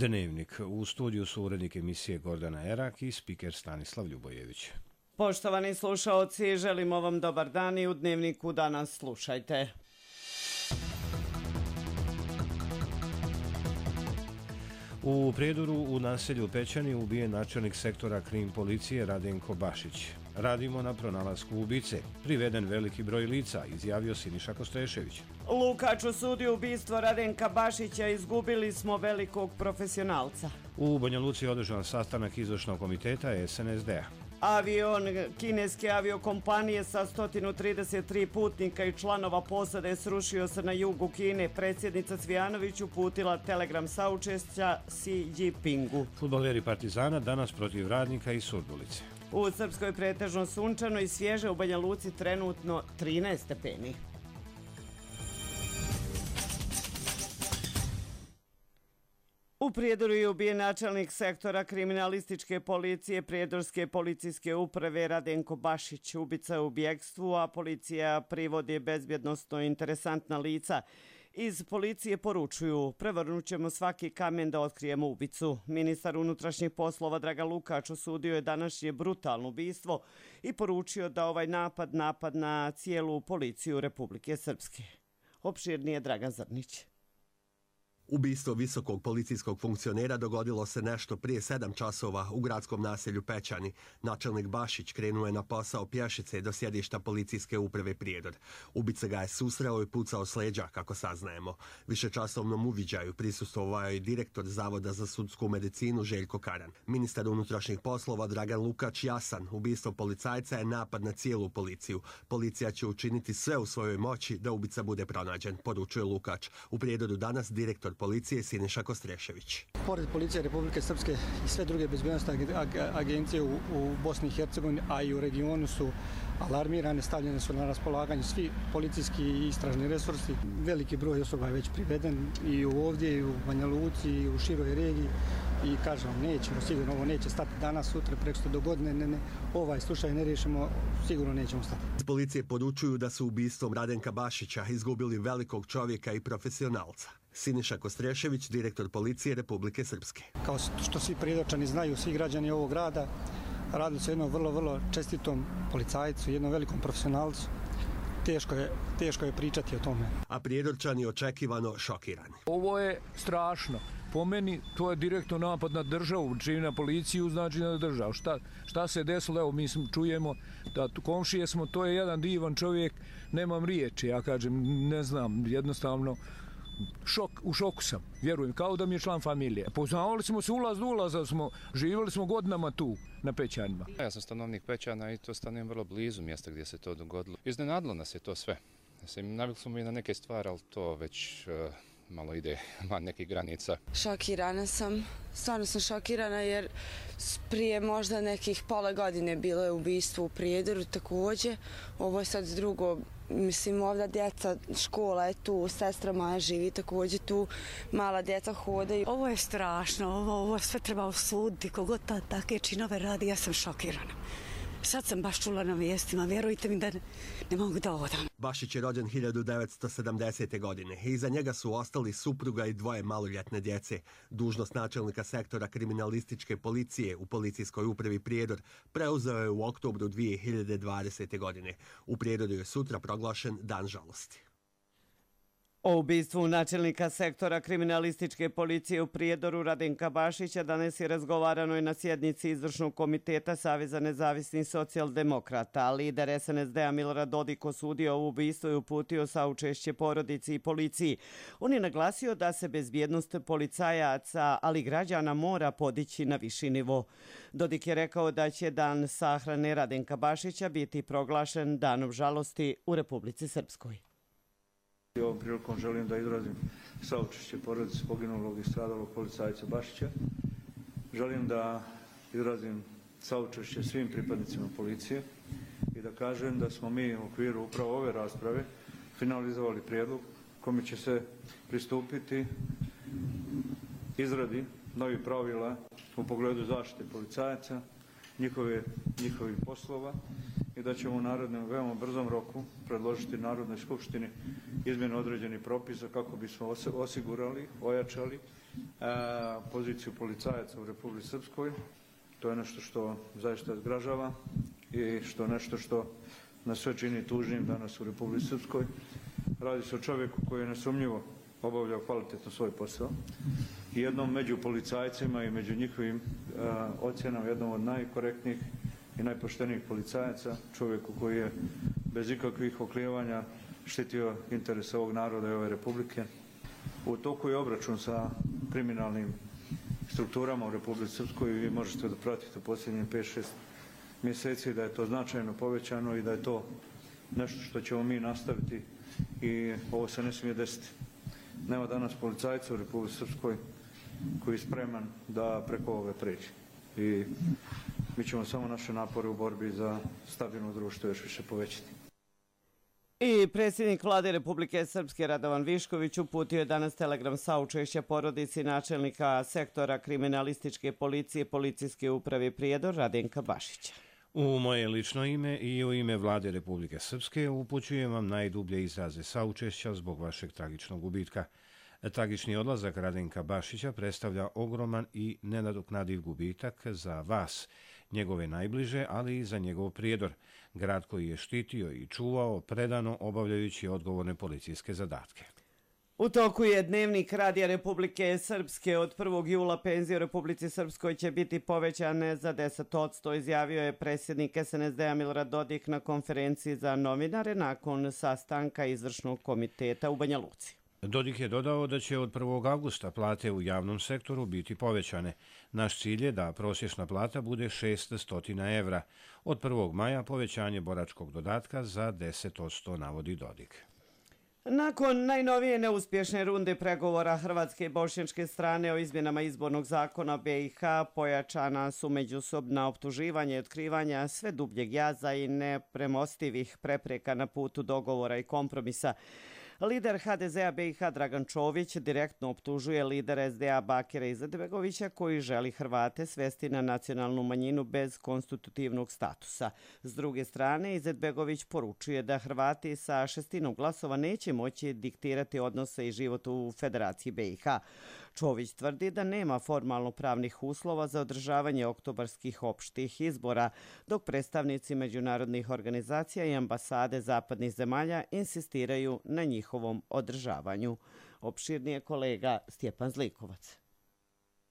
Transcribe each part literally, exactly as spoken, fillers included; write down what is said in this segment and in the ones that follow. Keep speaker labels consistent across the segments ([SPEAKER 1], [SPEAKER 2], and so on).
[SPEAKER 1] Dnevnik. U studiju su urednik emisije Gordana Erak i spiker Stanislav Ljubojević.
[SPEAKER 2] Poštovani slušaoci, želimo vam dobar dan i u Dnevniku danas slušajte.
[SPEAKER 1] U Prijedoru u naselju Pećani ubijen načelnik sektora krim policije Radenko Bašić. Radimo na pronalasku ubice. Priveden veliki broj lica, izjavio Siniša Kostrešević.
[SPEAKER 2] Lukač osudio ubistvo Radenka Bašića, izgubili smo velikog profesionalca.
[SPEAKER 1] U Banja Luci je održan sastanak izvršnog komiteta S N S D-a.
[SPEAKER 2] Avion kineske aviokompanije sa sto trideset tri putnika i članova posade srušio se na jugu Kine. Predsjednica Cvijanović uputila telegram saučešća Xi Jinpingu.
[SPEAKER 1] Fudbaleri Partizana danas protiv Radnika i Surdulice.
[SPEAKER 2] U Srpskoj pretežno sunčano i svježe, u Banja Luci trenutno trinaest stepeni. U Prijedoru je ubijen načelnik sektora kriminalističke policije Prijedorske policijske uprave Radenko Bašić. Ubica je u bjegstvu, a policija privodi bezbjednosno interesantna lica. Iz policije poručuju: prevrnut ćemo svaki kamen da otkrijemo ubicu. Ministar unutrašnjih poslova Dragan Lukač osudio je današnje brutalno ubistvo i poručio da ovaj napad napad na cijelu policiju Republike Srpske. Opširnije Dragan Zrnić.
[SPEAKER 3] Ubistvo visokog policijskog funkcionera dogodilo se nešto prije sedam časova u gradskom naselju Pećani. Načelnik Bašić krenuo je na posao pješice do sjedišta policijske uprave Prijedor. Ubica ga je susreo i pucao s leđa, kako saznajemo. Višečasovnom uviđaju prisustvovao je direktor Zavoda za sudsku medicinu Željko Karan. Ministar unutrašnjih poslova Dragan Lukač jasan: ubistvo policajca je napad na cijelu policiju. Policija će učiniti sve u svojoj moći da ubica bude pronađen, poručuje Lukač. U Prijedoru danas direktor policije Siniša Kostrešević.
[SPEAKER 4] Pored policije Republike Srpske i sve druge bezbjednosne agencije u, u Bosni i Hercegovini, a i u regionu su alarmirane, stavljene su na raspolaganje svi policijski i istražni resursi. Veliki broj osoba je već priveden i ovdje, i u Banja Luci, i u široj regiji. I kažem vam, nećemo, sigurno ovo neće stati danas, sutra, preko do godine, ne, ne, ovaj slučaj ne riješimo, sigurno nećemo stati.
[SPEAKER 3] Iz policije poručuju da su ubistvom Radenka Bašića izgubili velikog čovjeka i profesionalca. Siniša Kostrešević, direktor policije Republike Srpske.
[SPEAKER 4] Kao što svi prijedočani znaju, svi građani ovog grada, radili su jednom vrlo, vrlo čestitom policajcu, jednom velikom profesionalcu. Teško je, teško je pričati o tome.
[SPEAKER 3] A prijedorčani očekivano šokirani.
[SPEAKER 5] Ovo je strašno. Po meni to je direktno napad na državu, čini na policiju, znači na državu. Šta, šta se desilo? Evo, mi čujemo da komšije smo, to je jedan divan čovjek, nemam riječi, ja kažem, ne znam, jednostavno šok, u šoku sam, vjerujem, kao da mi je član familije. Poznavali smo se ulaz do ulaza, smo, živjeli smo godinama tu na Pećanima.
[SPEAKER 6] Ja sam stanovnik Pećana i to stanujem vrlo blizu mjesta gdje se to dogodilo. Iznenadilo nas je to sve. Mislim, navikli smo i na neke stvari, ali to već uh, malo ide van nekih granica.
[SPEAKER 7] Šokirana sam, stvarno sam šokirana jer prije možda nekih pola godine bilo je ubistvo u Prijedoru također. Ovo je sad drugo, mislim, ovdje djeca, škola je tu, sestra moja živi također tu, mala djeca hodaju.
[SPEAKER 8] Ovo je strašno, ovo, ovo sve treba osuditi, kogod ta takve činove radi, ja sam šokirana. Sad sam baš čula na vijestima, vjerujte mi da ne, ne mogu da odam.
[SPEAKER 3] Bašić je rođen hiljadu devetsto sedamdesete. godine. Iza njega su ostali supruga i dvoje maloljetne djece. Dužnost načelnika sektora kriminalističke policije u policijskoj upravi Prijedor preuzeo je u oktobru dvije hiljade dvadesete. godine. U Prijedoru je sutra proglašen Dan žalosti.
[SPEAKER 2] O ubistvu načelnika sektora kriminalističke policije u Prijedoru Radenka Bašića danas je razgovarano i na sjednici izvršnog komiteta Saveza nezavisnih socijaldemokrata. Lider S N S D-a Milorad Dodik osudio ovo ubistvo i uputio saučešće porodici i policiji. On je naglasio da se bezbjednost policajaca, ali i građana mora podići na viši nivo. Dodik je rekao da će dan sahrane Radenka Bašića biti proglašen danom žalosti u Republici Srpskoj.
[SPEAKER 9] Ovom prilikom želim da izrazim saučešće porodici poginulog i stradalog policajca Bašića. Želim da izrazim saučešće svim pripadnicima policije i da kažem da smo mi u okviru upravo ove rasprave finalizovali prijedlog kome će se pristupiti izradi novih pravila u pogledu zaštite policajaca, njihove, njihovih poslova i da ćemo u narednom veoma brzom roku predložiti Narodnoj skupštini izmjene određenih propisa kako bismo osigurali, ojačali poziciju policajaca u Republici Srpskoj. To je nešto što zaista zgražava i što nešto što nas sve čini tužnim danas u Republici Srpskoj. Radi se o čovjeku koji je nesumnjivo obavljao kvalitetno svoj posao i jednom među policajcima i među njihovim ocjenama jednom od najkorektnijih i najpoštenijih policajaca, čovjeku koji je bez ikakvih oklijevanja štitio interese ovog naroda i ove Republike. U toku je obračun sa kriminalnim strukturama u Republici Srpskoj i vi možete da pratite u posljednjih pet šest mjeseci da je to značajno povećano i da je to nešto što ćemo mi nastaviti i ovo se ne smije desiti. Nema danas policajca u Republici Srpskoj koji je spreman da preko ove pređe. I mi ćemo samo naše napore u borbi za stabilno društvo još više povećati.
[SPEAKER 2] I predsjednik Vlade Republike Srpske Radovan Višković uputio je danas telegram saučešća porodici načelnika sektora kriminalističke policije Policijske uprave Prijedor Radenka Bašića.
[SPEAKER 1] U moje lično ime i u ime Vlade Republike Srpske upućujem vam najdublje izraze saučešća zbog vašeg tragičnog gubitka. Tragični odlazak Radenka Bašića predstavlja ogroman i nenadoknadiv gubitak za vas, njegove najbliže, ali i za njegov Prijedor, grad koji je štitio i čuvao predano obavljajući odgovorne policijske zadatke.
[SPEAKER 2] U toku je Dnevnik Radija Republike Srpske. Od prvog jula penzije u Republici Srpskoj će biti povećane za deset posto, izjavio je predsjednik S N S D-a Milorad Dodik na konferenciji za novinare nakon sastanka izvršnog komiteta u Banja Luci.
[SPEAKER 1] Dodik je dodao da će od prvog avgusta plate u javnom sektoru biti povećane. Naš cilj je da prosječna plata bude šeststo evra. Od prvog maja povećanje boračkog dodatka za deset posto, navodi Dodik.
[SPEAKER 2] Nakon najnovije neuspješne runde pregovora hrvatske i bošnjačke strane o izmjenama izbornog zakona B i H pojačana su međusobna optuživanja i otkrivanja sve dubljeg jaza i nepremostivih prepreka na putu dogovora i kompromisa. Lider H D Z-a B i H Dragan Čović direktno optužuje lidera S D A Bakira Izetbegovića koji želi Hrvate svesti na nacionalnu manjinu bez konstitutivnog statusa. S druge strane, Izetbegović poručuje da Hrvati sa šestinom glasova neće moći diktirati odnose i život u Federaciji B i H. Čović tvrdi da nema formalno pravnih uslova za održavanje oktobarskih opštih izbora, dok predstavnici međunarodnih organizacija i ambasade zapadnih zemalja insistiraju na njihovom održavanju. Opširnije kolega Stjepan Zlikovac.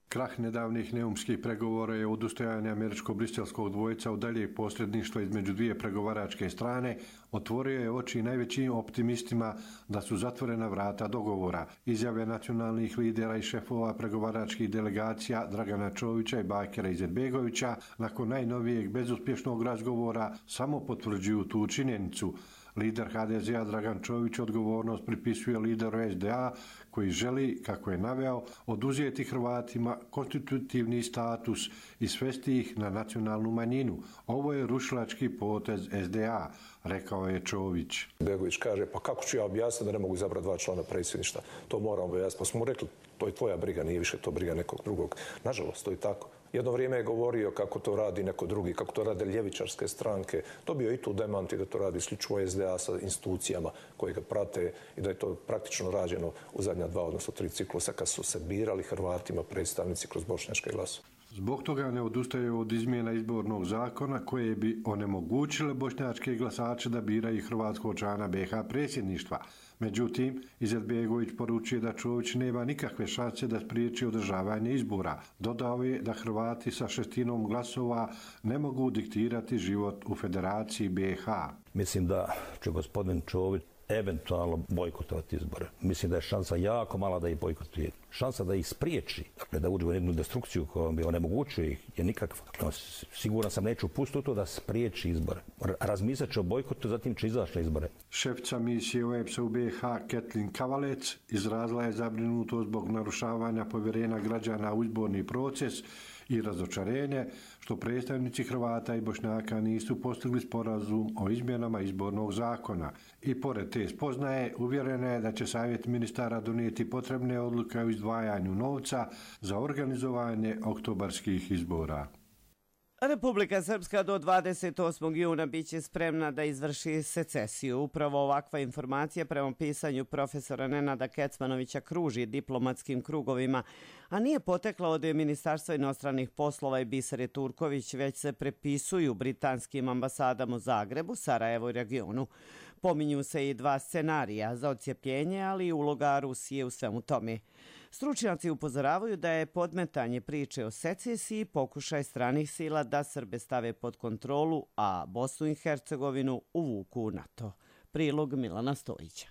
[SPEAKER 10] Krah nedavnih neumskih pregovora je odustajanje američko-briselskog dvojca u daljeg posredništva između dvije pregovaračke strane otvorio je oči najvećim optimistima da su zatvorena vrata dogovora. Izjave nacionalnih lidera i šefova pregovaračkih delegacija Dragana Čovića i Bakira Izetbegovića nakon najnovijeg bezuspješnog razgovora samo potvrđuju tu činjenicu. Lider H D Z-a Dragan Čović odgovornost pripisuje lideru S D A koji želi, kako je naveo, oduzeti Hrvatima konstitutivni status i svesti ih na nacionalnu manjinu. Ovo je rušilački potez S D A, rekao je Čović.
[SPEAKER 11] Begović kaže, pa kako ću ja objasniti da ne mogu izabrati dva člana predsjedništva? To moram objasniti. Pa smo mu rekli, to je tvoja briga, nije više to briga nekog drugog. Nažalost, to je tako. Jedno vrijeme je govorio kako to radi neko drugi, kako to rade ljevičarske stranke. Dobio i tu demanti da to radi isključivo S D A sa institucijama koje ga prate i da je to praktično rađeno u zadnja dva, odnosno tri ciklusa kad su se birali Hrvatima predstavnici kroz bošnjačke glasove.
[SPEAKER 10] Zbog toga ne odustaje od izmjena izbornog zakona koje bi onemogućile bošnjačke glasače da biraju hrvatskog člana B iH predsjedništva. Međutim, Izetbegović poručuje da Čović nema nikakve šanse da spriječi održavanje izbora. Dodao je da Hrvati sa šestinom glasova ne mogu diktirati život u Federaciji B iH.
[SPEAKER 12] Mislim da će gospodin Čović eventualno bojkotovati izbore. Mislim da je šansa jako mala da ih bojkotuje. Šansa da ih spriječi, dakle da uđe u jednu destrukciju kojom bi onemogućio ih, je nikakva. No, siguran sam neću pustiti to da spriječi izbore. Razmislit će o bojkotu, zatim će izaći na izbore.
[SPEAKER 10] Šefica misije O E P S-a u B iH Ketlin Kavalec izrazila je zabrinutost zbog narušavanja povjerenja građana u izborni proces i razočarenje što predstavnici Hrvata i Bošnjaka nisu postigli sporazum o izmjenama izbornog zakona. I pored te spoznaje uvjerena je da će Savjet ministara donijeti potrebne odluke o izdvajanju novca za organizovanje oktobarskih izbora.
[SPEAKER 2] Republika Srpska do dvadeset osmog juna biće spremna da izvrši secesiju. Upravo ovakva informacija prema pisanju profesora Nenada Kecmanovića kruži diplomatskim krugovima, a nije potekla od Ministarstva inostranih poslova i Bisere Turković, već se prepisuju britanskim ambasadama u Zagrebu, Sarajevu i regionu. Pominju se i dva scenarija za odcjepljenje, ali i uloga Rusije u svemu tome. Stručnjaci upozoravaju da je podmetanje priče o secesiji pokušaj stranih sila da Srbe stave pod kontrolu, a Bosnu i Hercegovinu uvuku u NATO. Prilog Milana Stojića.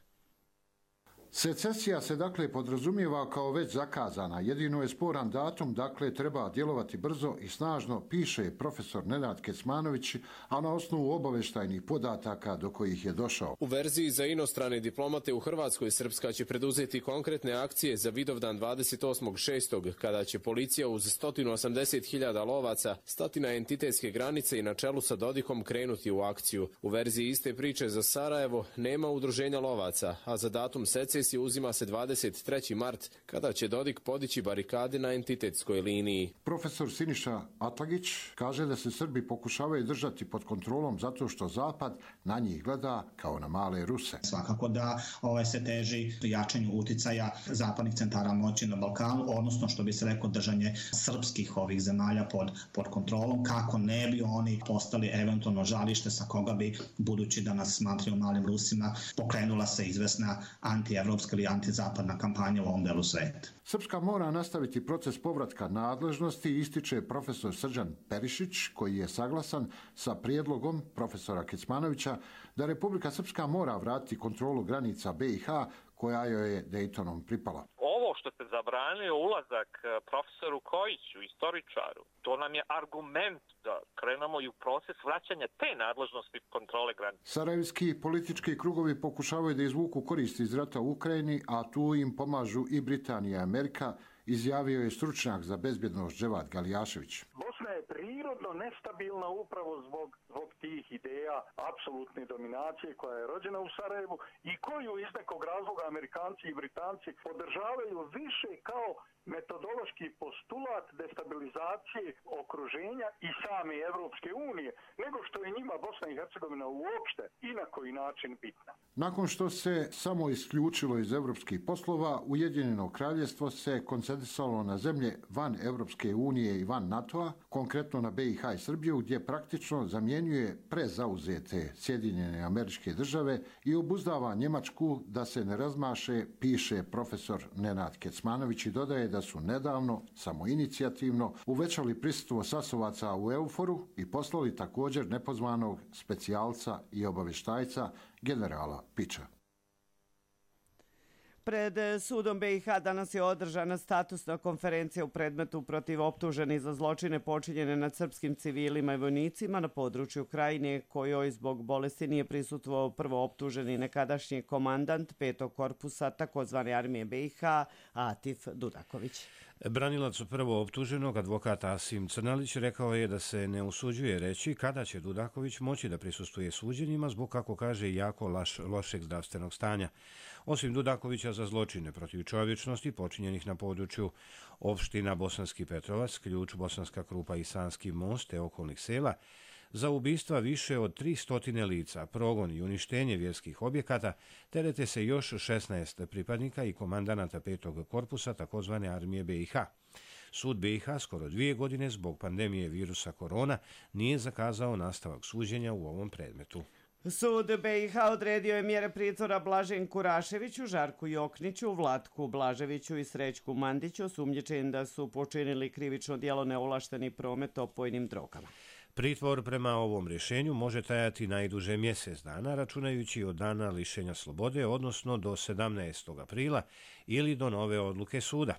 [SPEAKER 13] Secesija se dakle podrazumijeva kao već zakazana. Jedino je sporan datum, dakle treba djelovati brzo i snažno, piše profesor Nenad Kecmanović, a na osnovu obavještajnih podataka do kojih je došao.
[SPEAKER 14] U verziji za inostrane diplomate u Hrvatskoj Srpska će preduzeti konkretne akcije za Vidovdan dvadeset osmog šestog kada će policija uz sto osamdeset hiljada lovaca stati na entitetske granice i na čelu sa Dodikom krenuti u akciju. U verziji iste priče za Sarajevo nema udruženja lovaca, a za datum secesije uzima se dvadeset treći mart, kada će Dodik podići barikade na entitetskoj liniji.
[SPEAKER 13] Profesor Siniša Atlagić kaže da se Srbi pokušavaju držati pod kontrolom zato što Zapad na njih gleda kao na male Ruse.
[SPEAKER 15] Svakako da ovaj se teži jačanju uticaja zapadnih centara moći na Balkanu, odnosno što bi se rekao držanje srpskih ovih zemalja pod, pod kontrolom, kako ne bi oni postali eventualno žalište sa koga bi, budući da nas smatraju malim Rusima, pokrenula se izvesna anti-evropska ili antizapadna kampanja u ovom delu sveta.
[SPEAKER 13] Srpska mora nastaviti proces povratka nadležnosti, ističe profesor Srđan Perišić, koji je saglasan sa prijedlogom profesora Kecmanovića da Republika Srpska mora vratiti kontrolu granica B i H koja joj je Dejtonom pripala.
[SPEAKER 16] Ovo što ste zabranili ulazak profesoru Kojiću, istoričaru, to nam je argument da krenemo i u proces vraćanja te nadležnosti kontrole granica.
[SPEAKER 13] Sarajevski politički krugovi pokušavaju da izvuku koristi iz rata u Ukrajini, a tu im pomažu i Britanija i Amerika, izjavio je stručnjak za bezbjednost Dževad Galijašević.
[SPEAKER 17] Bosna je prirodno nestabilna upravo zbog, zbog tih ideja apsolutne dominacije koja je rođena u Sarajevu i koju iz nekog razloga Amerikanci i Britanci podržavaju više kao metodološki postulat destabilizacije okruženja i same Evropske unije, nego što je njima Bosna i Hercegovina uopšte i na koji način bitna.
[SPEAKER 13] Nakon što se samo isključilo iz evropskih poslova, Ujedinjeno kraljevstvo se koncentrisalo na zemlje van Evropske unije i van NATO-a, konkretno na B i H i Srbiju, gdje praktično zamjenjuje prezauzete Sjedinjene Američke Države i obuzdava Njemačku da se ne razmaše, piše profesor Nenad Kecmanović i dodaje da su nedavno, samoinicijativno, uvećali prisustvo sasovaca u Euforu i poslali također nepozvanog specijalca i obavještajca generala Piča.
[SPEAKER 2] Pred sudom B i H danas je održana statusna konferencija u predmetu protiv optuženih za zločine počinjene nad srpskim civilima i vojnicima na području Krajine, kojoj zbog bolesti nije prisustvovao prvo optuženi nekadašnji komandant petog korpusa takozvane armije B i H, Atif Dudaković.
[SPEAKER 1] Branilac prvo optuženog, advokat Asim Crnalić, rekao je da se ne usuđuje reći kada će Dudaković moći da prisustuje suđenjima zbog, kako kaže, jako laš, lošeg zdravstvenog stanja. Osim Dudakovića za zločine protiv čovječnosti počinjenih na području opština Bosanski Petrovac, Ključ, Bosanska Krupa i Sanski most te okolnih sela, za ubistva više od tri stotine lica, progon i uništenje vjerskih objekata, terete se još šesnaest pripadnika i komandanata petog korpusa takozvane armije B i H. Sud B i H skoro dvije godine zbog pandemije virusa korona nije zakazao nastavak suđenja u ovom predmetu.
[SPEAKER 2] Sud B i H odredio je mjere pritvora Blaženku Raševiću, Žarku Jokniću, Vlatku Blaževiću i Srećku Mandiću, osumnjičeni da su počinili krivično djelo neovlašteni promet opojnim drogama.
[SPEAKER 1] Pritvor prema ovom rješenju može trajati najduže mjesec dana, računajući od dana lišenja slobode, odnosno do sedamnaestog aprila ili do nove odluke suda.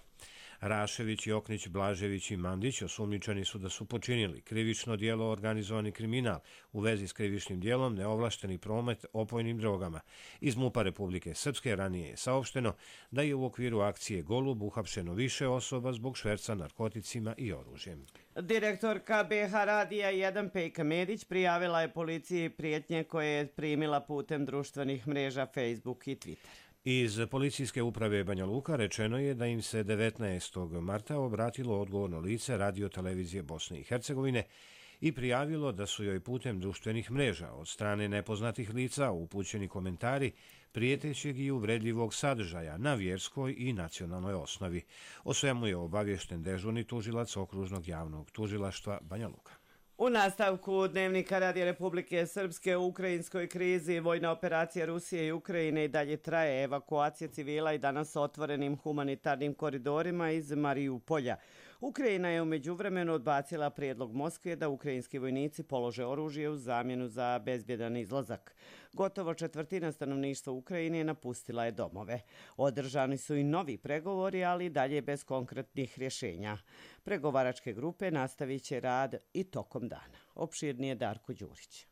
[SPEAKER 1] Rašević, Joknić, Blažević i Mandić osumnjičeni su da su počinili krivično djelo organizovani kriminal u vezi s krivičnim djelom neovlašteni promet opojnim drogama. Iz MUP-a Republike Srpske ranije je saopšteno da je u okviru akcije Golub uhapšeno više osoba zbog šverca narkoticima i oružjem.
[SPEAKER 2] Direktorka B H Radija jedan Pejka Medić prijavila je policiji prijetnje koje je primila putem društvenih mreža Facebook i Twitter.
[SPEAKER 1] Iz policijske uprave Banja Luka rečeno je da im se devetnaestog marta obratilo odgovorno lice Radio televizije Bosne i Hercegovine i prijavilo da su joj putem društvenih mreža od strane nepoznatih lica upućeni komentari prijetećeg i uvredljivog sadržaja na vjerskoj i nacionalnoj osnovi. O svemu je obaviješten dežurni tužilac Okružnog javnog tužilaštva Banja Luka.
[SPEAKER 2] U nastavku Dnevnika Radija Republike Srpske u ukrajinskoj krizi vojna operacija Rusije i Ukrajine i dalje traje. Evakuacija civila i danas otvorenim humanitarnim koridorima iz Marijupolja. Ukrajina je u međuvremenu odbacila prijedlog Moskve da ukrajinski vojnici polože oružje u zamjenu za bezbjedan izlazak. Gotovo četvrtina stanovništva Ukrajine napustila je domove. Održani su i novi pregovori, ali dalje bez konkretnih rješenja. Pregovaračke grupe nastavit će rad i tokom dana. Opširnije Darko Đurić.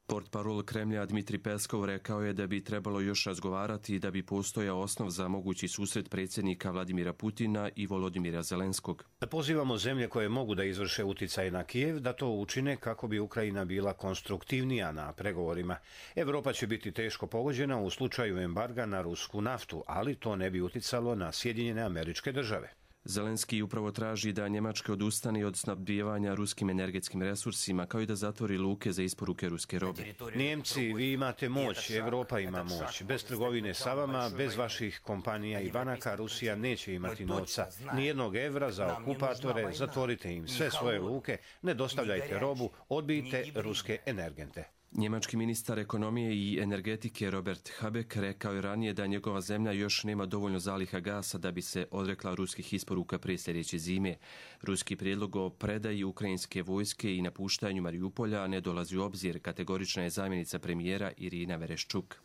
[SPEAKER 18] Portparol Kremlja Dmitri Peskov rekao je da bi trebalo još razgovarati i da bi postojao osnov za mogući susret predsjednika Vladimira Putina i Volodimira Zelenskog.
[SPEAKER 1] Pozivamo zemlje koje mogu da izvrše uticaj na Kijev da to učine kako bi Ukrajina bila konstruktivnija na pregovorima. Evropa će biti teško pogođena u slučaju embarga na rusku naftu, ali to ne bi uticalo na Sjedinjene Američke Države.
[SPEAKER 18] Zelenski upravo traži da Njemačka odustane od snabdijevanja ruskim energetskim resursima, kao i da zatvori luke za isporuke ruske robe.
[SPEAKER 1] Njemci, vi imate moć, Evropa ima moć. Bez trgovine sa vama, bez vaših kompanija i banaka, Rusija neće imati novca. Nijednog evra za okupatore, zatvorite im sve svoje luke, ne dostavljajte robu, odbijte ruske energente.
[SPEAKER 18] Njemački ministar ekonomije i energetike Robert Habeck rekao je ranije da njegova zemlja još nema dovoljno zaliha gasa da bi se odrekla ruskih isporuka prije sljedeće zime. Ruski prijedlog o predaji ukrajinske vojske i napuštanju Marijupolja ne dolazi u obzir, kategorična je zamjenica premijera Irina Vereščuk.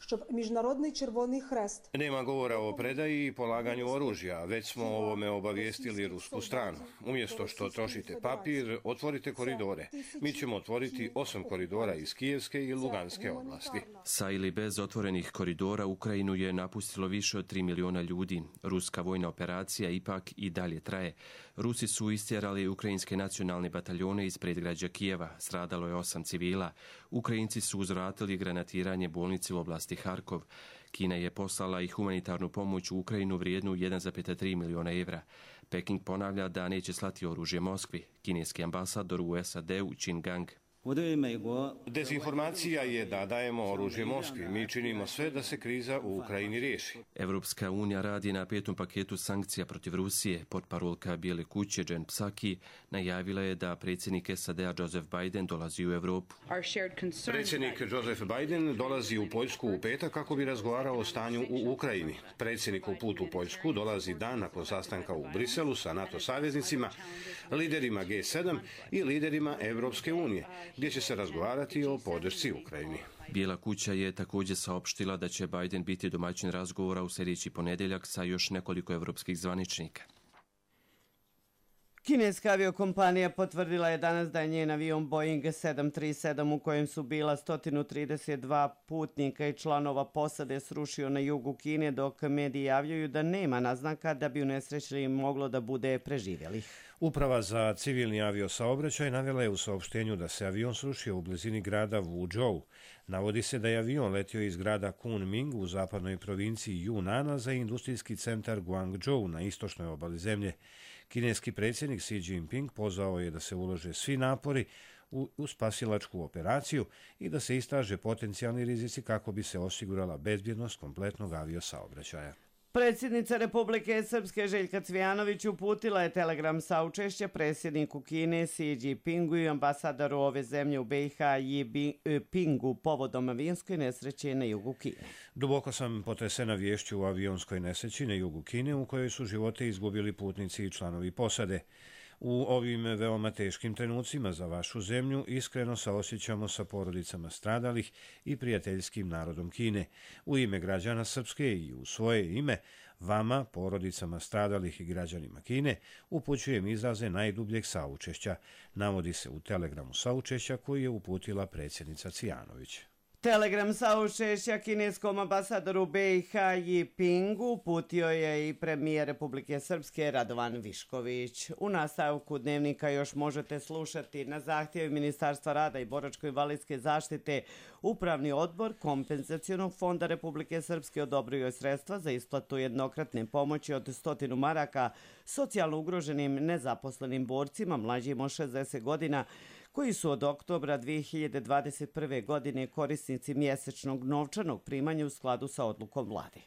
[SPEAKER 1] Nema govora o predaji i polaganju oružja, već smo o ovome obavijestili rusku stranu. Umjesto što trošite papir, otvorite koridore. Mi ćemo otvoriti osam koridora iz Kijevske i Luganske oblasti.
[SPEAKER 18] Sa ili bez otvorenih koridora Ukrajinu je napustilo više od tri miliona ljudi. Ruska vojna operacija ipak i dalje traje. Rusi su istjerali ukrajinske nacionalne bataljone iz predgrađa Kijeva. Stradalo je osam civila. Ukrajinci su uzvratili granatiranje bolnice u oblasti Harkov. Kina je poslala i humanitarnu pomoć u Ukrajinu vrijednu jedan zarez tri miliona evra. Peking ponavlja da neće slati oružje Moskvi. Kineski ambasador u S A D-u Qin Gang.
[SPEAKER 1] Dezinformacija je da dajemo oružje Moskvi. Mi činimo sve da se kriza u Ukrajini riješi.
[SPEAKER 18] Evropska unija radi na petom paketu sankcija protiv Rusije. Portparolka Bijele kuće Jen Psaki najavila je da predsjednik S A D-a Joseph Biden dolazi u Evropu.
[SPEAKER 1] Predsjednik Joseph Biden dolazi u Poljsku u petak kako bi razgovarao o stanju u Ukrajini. Predsjednik u put u Poljsku dolazi dan nakon sastanka u Briselu sa NATO saveznicima, liderima G sedam i liderima Evropske unije, gdje će se razgovarati o podršci Ukrajini.
[SPEAKER 18] Bijela kuća je također saopštila da će Biden biti domaćin razgovora u sljedeći ponedjeljak sa još nekoliko evropskih zvaničnika.
[SPEAKER 2] Kineska aviokompanija potvrdila je danas da je njen avion Boeing sedam tri sedam u kojem su bila sto trideset dva putnika i članova posade srušio na jugu Kine, dok mediji javljaju da nema naznaka da bi u nesreći moglo da bude preživjelih.
[SPEAKER 1] Uprava za civilni aviosaobraćaj navela je u saopštenju da se avion srušio u blizini grada Wuzhou. Navodi se da je avion letio iz grada Kunming u zapadnoj provinciji Yunnan za industrijski centar Guangzhou na istočnoj obali zemlje. Kineski predsjednik Xi Jinping pozvao je da se ulože svi napori u, u spasilačku operaciju i da se istraže potencijalni rizici kako bi se osigurala bezbjednost kompletnog aviosaobraćaja.
[SPEAKER 2] Predsjednica Republike Srpske Željka Cvijanović uputila je telegram saučešća predsjedniku Kine Xi Jinpingu i ambasadoru ove zemlje u B i H Yi Pingu povodom avionskoj nesreće na jugu Kine.
[SPEAKER 1] Duboko sam potresena viješću o avionskoj nesreći na jugu Kine u kojoj su živote izgubili putnici i članovi posade. U ovim veoma teškim trenucima za vašu zemlju iskreno saosjećamo sa porodicama stradalih i prijateljskim narodom Kine. U ime građana Srpske i u svoje ime, vama, porodicama stradalih i građanima Kine, upućujem izraze najdubljeg saučešća, navodi se u telegramu saučešća koji je uputila predsjednica Cvijanović.
[SPEAKER 2] Telegram saučešća kineskom ambasadoru B i H Yi Pingu uputio je i premijer Republike Srpske Radovan Višković. U nastavku dnevnika još možete slušati na zahtjev Ministarstva rada i boračko-invalidske zaštite. Upravni odbor Kompenzacionog fonda Republike Srpske odobrio je sredstva za isplatu jednokratne pomoći od stotinu maraka socijalno ugroženim nezaposlenim borcima mlađim od šezdeset godina koji su od oktobra dvije hiljade dvadeset prve. godine korisnici mjesečnog novčanog primanja u skladu sa odlukom vlade.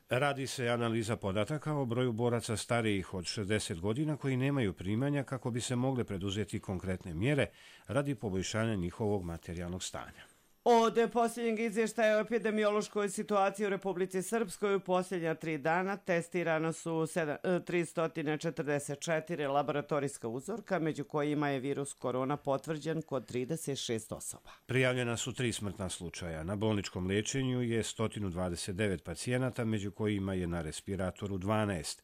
[SPEAKER 1] Radi se analiza podataka o broju boraca starijih od šezdeset godina koji nemaju primanja kako bi se mogle preduzeti konkretne mjere radi poboljšanja njihovog materijalnog stanja.
[SPEAKER 2] Od posljednjeg izvještaja o epidemiološkoj situaciji u Republici Srpskoj u posljednja tri dana testirano su tristo četrdeset četiri laboratorijska uzorka, među kojima je virus korona potvrđen kod trideset šest osoba.
[SPEAKER 1] Prijavljena su tri smrtna slučaja. Na bolničkom liječenju je sto dvadeset devet pacijenata, među kojima je na respiratoru dvanaest.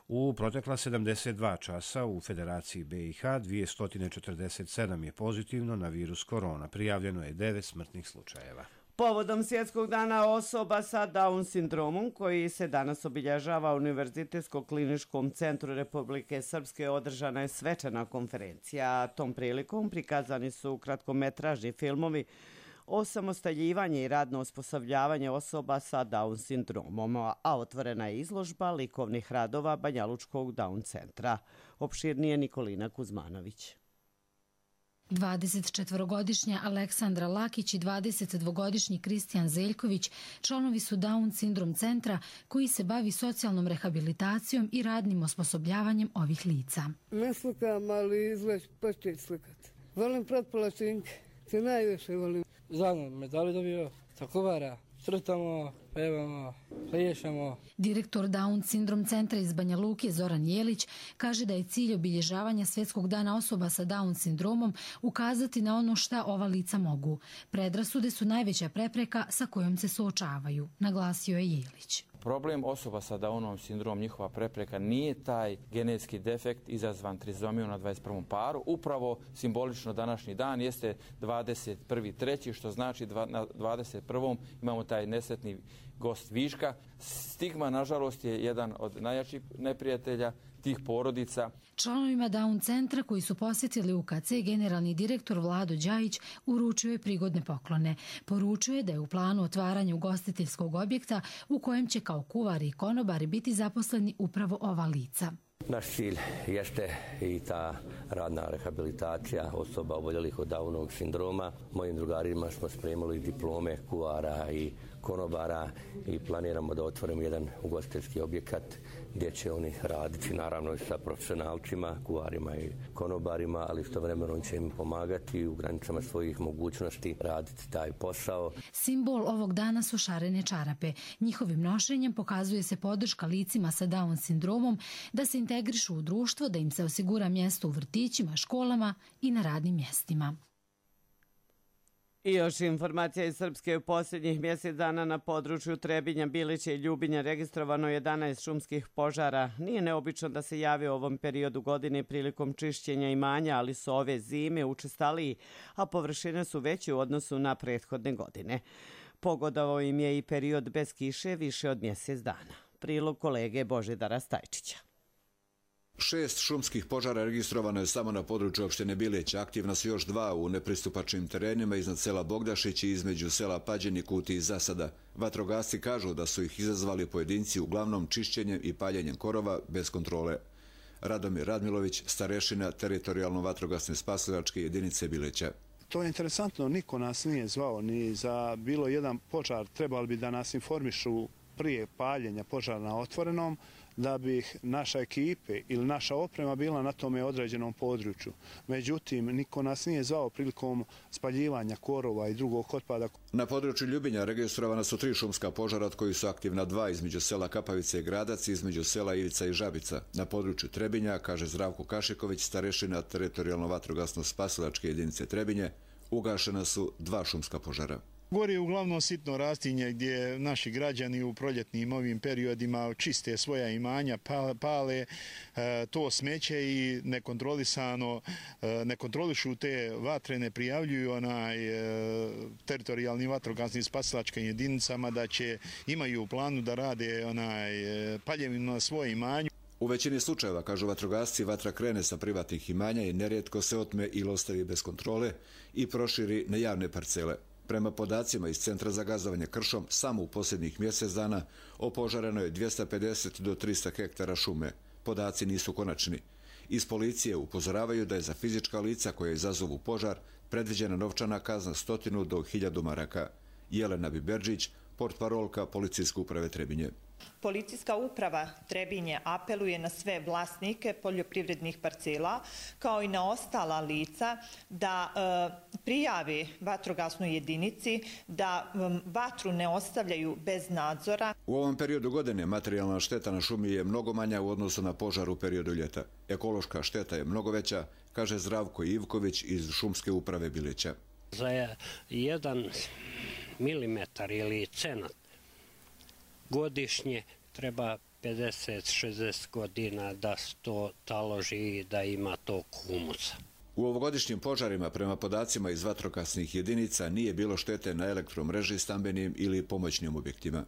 [SPEAKER 1] U protekla sedamdeset dva časa u Federaciji B i H dvjesto četrdeset sedam je pozitivno na virus korona. Prijavljeno je devet smrtnih slučajeva.
[SPEAKER 2] Povodom Svjetskog dana osoba sa Down sindromom, koji se danas obilježava u Univerzitetskom kliničkom centru Republike Srpske, održana je svečana konferencija. Tom prilikom prikazani su kratkometražni filmovi osamostaljivanje i radno osposobljavanje osoba sa Down sindromom, a otvorena je izložba likovnih radova Banjalučkog Down centra. Opširnije Nikolina Kuzmanović.
[SPEAKER 19] dvadesetčetvorogodišnja Aleksandra Lakić i dvadesetdvogodišnji Kristijan Zeljković članovi su Down sindrom centra koji se bavi socijalnom rehabilitacijom i radnim osposobljavanjem ovih lica.
[SPEAKER 20] Ne slikam, ali izgled početi slikati. Volim pretpolačinke, te najviše volim.
[SPEAKER 21] Zadnje medali dobio, takovara, crtamo, pevamo, pliješamo.
[SPEAKER 19] Direktor Down sindrom centra iz Banja Luke Zoran Jelić kaže da je cilj obilježavanja Svjetskog dana osoba sa Down sindromom ukazati na ono šta ova lica mogu. Predrasude su najveća prepreka sa kojom se suočavaju, naglasio je Jelić.
[SPEAKER 22] Problem osoba sa Downovom sindromom, njihova prepreka, nije taj genetski defekt izazvan trizomijom na dvadeset prvom paru. Upravo simbolično današnji dan jeste dvadeset prvi treći što znači na dvadeset prvom imamo taj nesretni gost viška. Stigma, nažalost, je jedan od najjačih neprijatelja tih porodica.
[SPEAKER 19] Članovima Down centra koji su posjetili U K C generalni direktor Vlado Đajić uručio je prigodne poklone. Poručio je da je u planu otvaranja ugostiteljskog objekta u kojem će kao kuvari i konobari biti zaposleni upravo ova lica.
[SPEAKER 23] Naš cilj jeste i ta radna rehabilitacija osoba oboljelih od Downovog sindroma. Mojim drugarima smo spremili diplome kuvara i konobara i planiramo da otvorimo jedan ugostiteljski objekat gdje će oni raditi naravno sa profesionalcima, kuvarima i konobarima, ali istovremeno će im pomagati u granicama svojih mogućnosti raditi taj posao.
[SPEAKER 19] Simbol ovog dana su šarene čarape. Njihovim nošenjem pokazuje se podrška licima sa Down sindromom da se integrišu u društvo, da im se osigura mjesto u vrtićima, školama i na radnim mjestima.
[SPEAKER 2] I još informacija iz Srpske. U posljednjih mjesec dana na području Trebinja, Bilića i Ljubinja registrovano jedanaest šumskih požara. Nije neobično da se javi u ovom periodu godine prilikom čišćenja imanja, ali su ove zime učestaliji, a površine su veće u odnosu na prethodne godine. Pogodovao im je i period bez kiše više od mjesec dana. Prilog kolege Božidara Stajčića.
[SPEAKER 24] Šest šumskih požara registrovano je samo na području opštine Bileć. Aktivna su još dva u nepristupačnim terenima iznad sela Bogdašić i između sela Pađeni, Kuti i Zasada. Vatrogasci kažu da su ih izazvali pojedinci uglavnom čišćenjem i paljenjem korova bez kontrole. Radomir Radmilović, starešina teritorijalno vatrogasne spasilačke jedinice Bileća.
[SPEAKER 25] To je interesantno, niko nas nije zvao ni za bilo jedan požar. Trebali bi da nas informišu prije paljenja požara na otvorenom, da bi naša ekipe ili naša oprema bila na tome određenom području. Međutim, niko nas nije zvao prilikom spaljivanja korova i drugog otpada.
[SPEAKER 24] Na području Ljubinja registrovana su tri šumska požara, od kojih su aktivna dva između sela Kapavice i Gradac i između sela Ivica i Žabica. Na području Trebinja, kaže Zdravko Kašiković, starešina teritorijalno vatrogasno spasilačke jedinice Trebinje, ugašena su dva šumska požara.
[SPEAKER 25] Gori je uglavnom sitno rastinje gdje naši građani u proljetnim ovim periodima čiste svoja imanja, pale to smeće i nekontrolisano ne kontrolišu te vatre, ne prijavljuju onaj teritorijalnim vatrogasnim spasilačkim jedinicama da će imaju u planu da rade onaj paljevinu na svoje imanju.
[SPEAKER 24] U većini slučajeva, kažu vatrogasci, vatra krene sa privatnih imanja i nerijetko se otme ili ostavi bez kontrole i proširi na javne parcele. Prema podacima iz Centra za gazovanje kršom, samo u posljednjih mjesec dana opožareno je dvjesto pedeset do trista hektara šume. Podaci nisu konačni. Iz policije upozoravaju da je za fizička lica koje izazovu požar predviđena novčana kazna stotinu do hiljadu maraka. Jelena Biberđić, portparolka Policijske uprave Trebinje.
[SPEAKER 4] Policijska uprava Trebinje apeluje na sve vlasnike poljoprivrednih parcela kao i na ostala lica da e, prijavi vatrogasnoj jedinici, da e, vatru ne ostavljaju bez nadzora.
[SPEAKER 24] U ovom periodu godine materijalna šteta na šumi je mnogo manja u odnosu na požar u periodu ljeta. Ekološka šteta je mnogo veća, kaže Zdravko Ivković iz Šumske uprave Bilića.
[SPEAKER 5] Za jedan milimetar ili cenat godišnje treba pedeset do šezdeset godina da se to taloži i da ima to humusa.
[SPEAKER 24] U ovogodišnjim požarima, prema podacima iz vatrogasnih jedinica, nije bilo štete na elektromreži, stambenim ili pomoćnim objektima.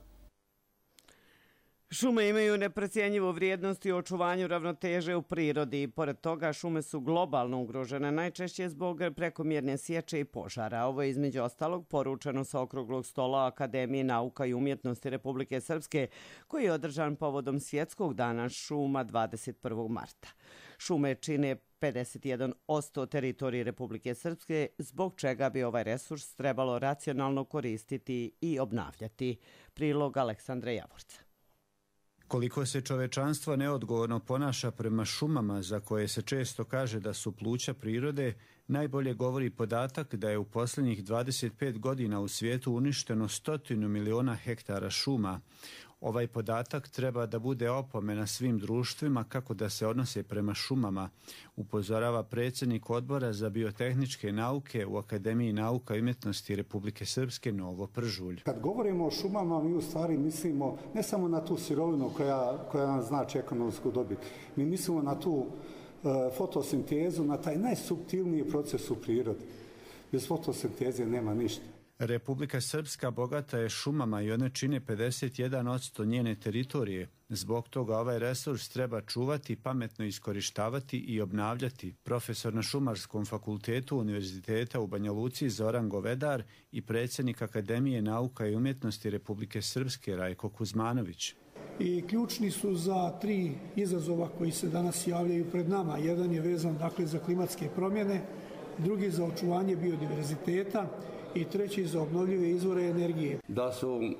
[SPEAKER 2] Šume imaju neprocjenjivu vrijednost i očuvanju ravnoteže u prirodi. Pored toga, šume su globalno ugrožene, najčešće zbog prekomjerne sječe i požara. Ovo je između ostalog poručeno sa okruglog stola Akademije nauka i umjetnosti Republike Srpske, koji je održan povodom Svjetskog dana šuma dvadeset prvog marta. Šume čine pedeset jedan posto teritorije Republike Srpske, zbog čega bi ovaj resurs trebalo racionalno koristiti i obnavljati. Prilog Aleksandra Javorca.
[SPEAKER 6] Koliko se čovečanstvo neodgovorno ponaša prema šumama, za koje se često kaže da su pluća prirode, najbolje govori podatak da je u posljednjih dvadeset pet godina u svijetu uništeno stotinu miliona hektara šuma. Ovaj podatak treba da bude opomena svim društvima kako da se odnose prema šumama, upozorava predsjednik odbora za biotehničke nauke u Akademiji nauka i umjetnosti Republike Srpske Novo Pržulj.
[SPEAKER 7] Kad govorimo o šumama, mi u stvari mislimo ne samo na tu sirovinu koja, koja nam znači ekonomsku dobit. Mi mislimo na tu uh, fotosintezu, na taj najsuptilniji proces u prirodi. Bez fotosinteze nema ništa.
[SPEAKER 6] Republika Srpska bogata je šumama i one čine pedeset jedan posto njene teritorije. Zbog toga ovaj resurs treba čuvati, pametno iskorištavati i obnavljati. Profesor na Šumarskom fakultetu Univerziteta u Banja Luci Zoran Govedar i predsjednik Akademije nauka i umjetnosti Republike Srpske Rajko Kuzmanović.
[SPEAKER 8] I ključni su za tri izazova koji se danas javljaju pred nama. Jedan je vezan dakle za klimatske promjene, drugi za očuvanje biodiverziteta i treći za obnovljive izvore energije.
[SPEAKER 26] Da su e,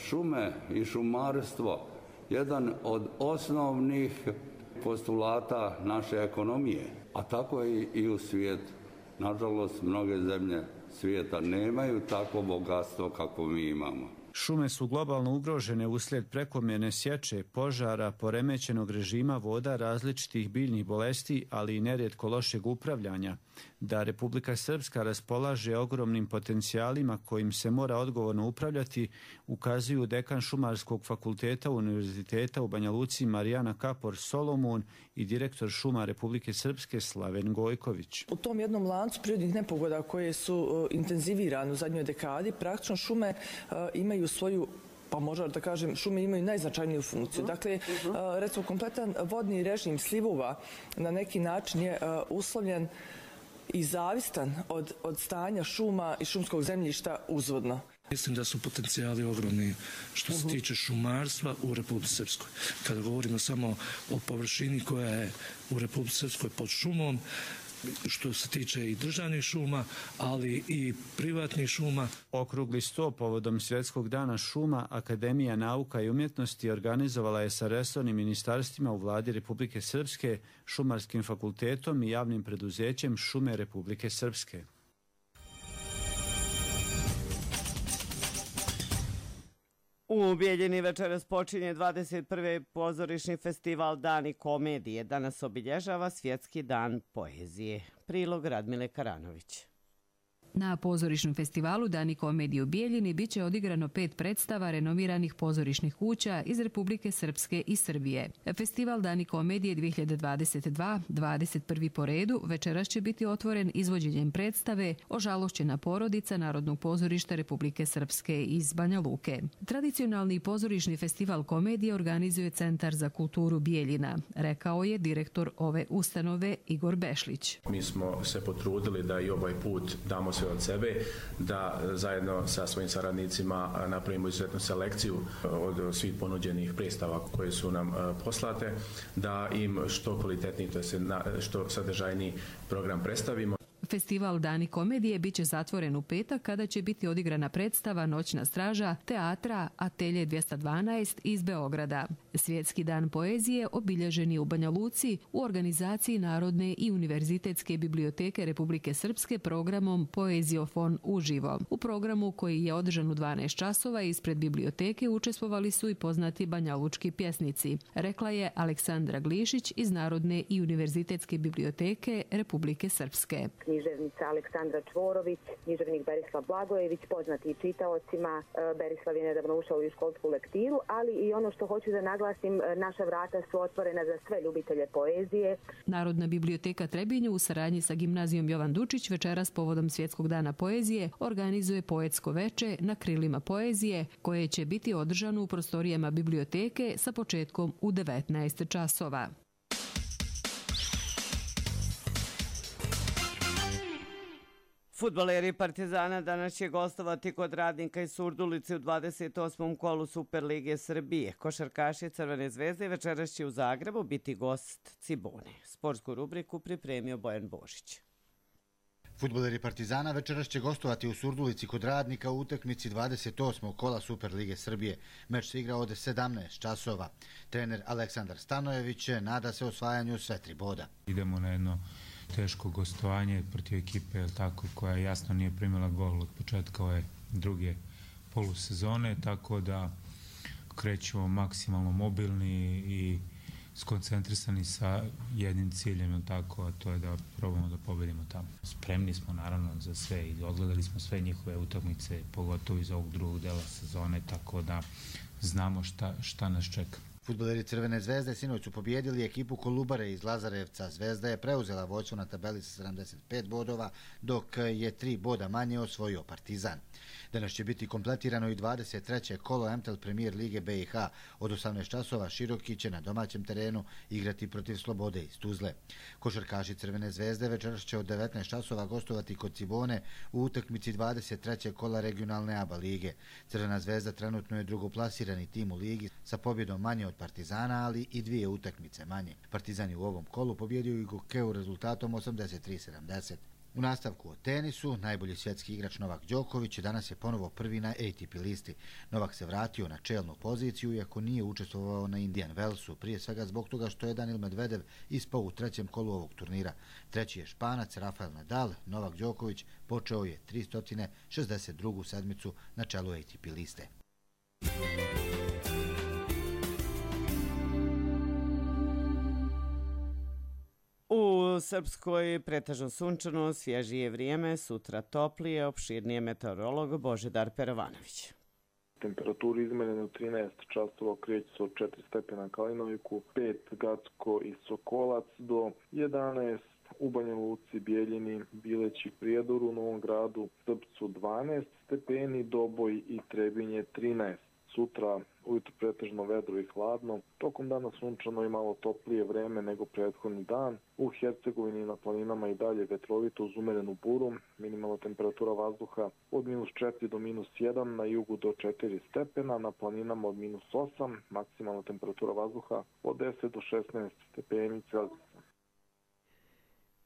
[SPEAKER 26] šume i šumarstvo jedan od osnovnih postulata naše ekonomije, a tako i, i u svijetu. Nažalost, mnoge zemlje svijeta nemaju takvo bogatstvo kako mi imamo.
[SPEAKER 6] Šume su globalno ugrožene uslijed prekomjerne sječe, požara, poremećenog režima voda, različitih biljnih bolesti, ali i nerijetko lošeg upravljanja. Da Republika Srpska raspolaže ogromnim potencijalima kojim se mora odgovorno upravljati, ukazuju dekan Šumarskog fakulteta Univerziteta u Banja Luci Marijana Kapor Solomun i direktor šuma Republike Srpske Slaven Gojković.
[SPEAKER 27] U tom jednom lancu prirodnih nepogoda koje su uh, intenzivirane u zadnjoj dekadi, praktično šume uh, imaju svoju, pa možda da kažem, šume imaju najznačajniju funkciju. Dakle, uh, recimo, kompletan vodni režim slivova na neki način je uh, uslovljen i zavistan od, od stanja šuma i šumskog zemljišta uzvodno.
[SPEAKER 28] Mislim da su potencijali ogromni što se tiče šumarstva u Republici Srpskoj. Kada govorimo samo o površini koja je u Republici Srpskoj pod šumom, što se tiče i državnih šuma, ali i privatnih šuma.
[SPEAKER 6] Okrugli sto povodom Svjetskog dana šuma Akademija nauka i umjetnosti organizovala je sa resornim ministarstvima u vladi Republike Srpske, Šumarskim fakultetom i javnim preduzećem Šume Republike Srpske.
[SPEAKER 2] U Bijeljini večeras počinje dvadeset prvi pozorišni festival Dani komedije. Danas obilježava Svjetski dan poezije. Prilog Radmile Karanović.
[SPEAKER 29] Na pozorišnom festivalu Dani komedije u Bijeljini biće odigrano pet predstava renomiranih pozorišnih kuća iz Republike Srpske i Srbije. Festival Dani komedije dvije hiljade dvadeset dva, dvadeset prvi po redu, večeras će biti otvoren izvođenjem predstave Ožalošćena porodica Narodnog pozorišta Republike Srpske iz Banja Luke. Tradicionalni pozorišni festival komedije organizuje Centar za kulturu Bijeljina, rekao je direktor ove ustanove Igor Bešlić.
[SPEAKER 30] Mi smo se potrudili da i ovaj put damo sve
[SPEAKER 3] sve od sebe, da zajedno sa svojim saradnicima napravimo izuzetnu selekciju od svih ponuđenih predstava koje su nam poslate, da im što kvalitetniji, to jest što sadržajniji program predstavimo.
[SPEAKER 29] Festival Dani komedije biće zatvoren u petak kada će biti odigrana predstava Noćna straža teatra Atelje dvjesto dvanaest iz Beograda. Svjetski dan poezije obilježen je u Banja Luci u organizaciji Narodne i Univerzitetske biblioteke Republike Srpske programom Poeziofon uživo. U programu koji je održan u dvanaest časova ispred biblioteke učestvovali su i poznati banjalučki pjesnici, rekla je Aleksandra Glišić iz Narodne i Univerzitetske biblioteke Republike Srpske.
[SPEAKER 9] Književnica Aleksandra Čvorović, književnik Berislav Blagojević, poznati i čitaocima. Berislav je nedavno ušao u školsku lektiru, ali i ono što hoću da naglasim, naša vrata su otvorena za sve ljubitelje poezije.
[SPEAKER 29] Narodna biblioteka Trebinje u saradnji sa gimnazijom Jovan Dučić večeras povodom Svjetskog dana poezije organizuje poetsko veče na krilima poezije koje će biti održano u prostorijama biblioteke sa početkom u devetnaest časova.
[SPEAKER 2] Fudbaleri Partizana danas će gostovati kod Radnika iz Surdulice u dvadeset osmom kolu Superlige Srbije. Košarkaši Crvene zvezde večeras će u Zagrebu biti gost Cibone. Sportsku rubriku pripremio Bojan Božić.
[SPEAKER 10] Fudbaleri Partizana večeras će gostovati u Surdulici kod Radnika u utakmici dvadeset osmog kola Superlige Srbije. Meč se igra od sedamnaest časova. Trener Aleksandar Stanojević nada se osvajanju sve tri boda.
[SPEAKER 11] Idemo na jedno teško gostovanje protiv ekipe tako, koja jasno nije primila gol od početka ove druge polusezone, tako da krećemo maksimalno mobilni i skoncentrisani sa jednim ciljem, tako, a to je da probamo da pobedimo tamo. Spremni smo naravno za sve i odgledali smo sve njihove utakmice, pogotovo iz ovog drugog dela sezone, tako da znamo šta, šta nas čeka.
[SPEAKER 10] Fudbaleri Crvene zvezde sinoć su pobjedili ekipu Kolubare iz Lazarevca. Zvezda je preuzela vođstvo na tabeli sa sedamdeset pet bodova, dok je tri boda manje osvojio Partizan. Danas će biti kompletirano i dvadeset treće kolo M T L Premier Lige B i H. Od osamnaest časova Široki će na domaćem terenu igrati protiv Slobode iz Tuzle. Košarkaši Crvene zvezde večeras će od devetnaest časova gostovati kod Cibone u utakmici dvadeset trećeg kola regionalne A B A lige. Crvena zvezda trenutno je drugoplasirani tim u ligi sa pobjedom manje od Partizana, ali i dvije utakmice manje. Partizan je u ovom kolu pobjedio i Gokeu rezultatom osamdeset tri sedamdeset. U nastavku o tenisu, najbolji svjetski igrač Novak Đoković danas je ponovo prvi na A T P listi. Novak se vratio na čelnu poziciju iako nije učestvovao na Indian Wellsu, prije svega zbog toga što je Danil Medvedev ispao u trećem kolu ovog turnira. Treći je Španac Rafael Nadal. Novak Đoković počeo je tristo šezdeset drugu sedmicu na čelu A T P liste.
[SPEAKER 2] U Srpskoj pretežno sunčano, svježije vrijeme, sutra toplije, opširnije meteorolog Božidar Perovanović.
[SPEAKER 12] Temperaturu izmenjene u trinaest časova kreće se od četiri stepena Kalinoviku, pet Gacko i Sokolac do jedanaest u Banja Luci, Bijeljini, Bileći, Prijedoru, Novom Gradu, Srpcu dvanaest stepeni, Doboj i Trebinje trinaest. Sutra ujutro pretežno vedro i hladno, tokom dana sunčano i malo toplije vreme nego prethodni dan. U Hercegovini i na planinama i dalje vetrovito uz umerenu buru, minimalna temperatura vazduha od minus četiri do minus jedan, na jugu do četiri stepena, na planinama od minus osam, maksimalna temperatura vazduha od deset do šesnaest stepeni Celzijusa.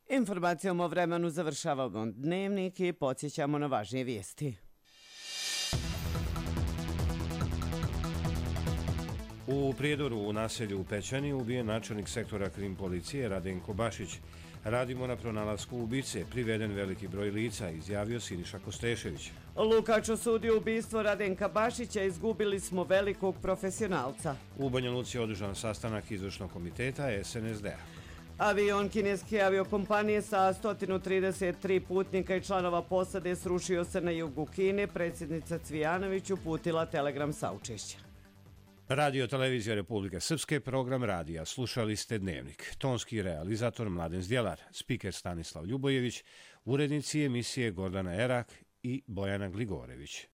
[SPEAKER 2] Informacijom o vremenu završavamo dnevnik i podsjećamo na važnije vijesti.
[SPEAKER 1] U Prijedoru u naselju u Pećani ubijen načelnik sektora krim policije Radenko Bašić. Radimo na pronalasku ubice, priveden veliki broj lica, izjavio Siniša Kostešević.
[SPEAKER 2] Lukač osudio ubistvo Radenka Bašića, izgubili smo velikog profesionalca.
[SPEAKER 1] U Banja Luci je održan sastanak izvršnog komiteta S N S D-a.
[SPEAKER 2] Avion kineske aviokompanije sa sto trideset tri putnika i članova posade srušio se na jugu Kine. Predsjednica Cvijanović uputila telegram saučešća.
[SPEAKER 1] Radio Televizija Republike Srpske, program radija. Slušali ste Dnevnik. Tonski realizator Mladen Zdjelar, spiker Stanislav Ljubojević, urednici emisije Gordana Erak i Bojana Gligorević.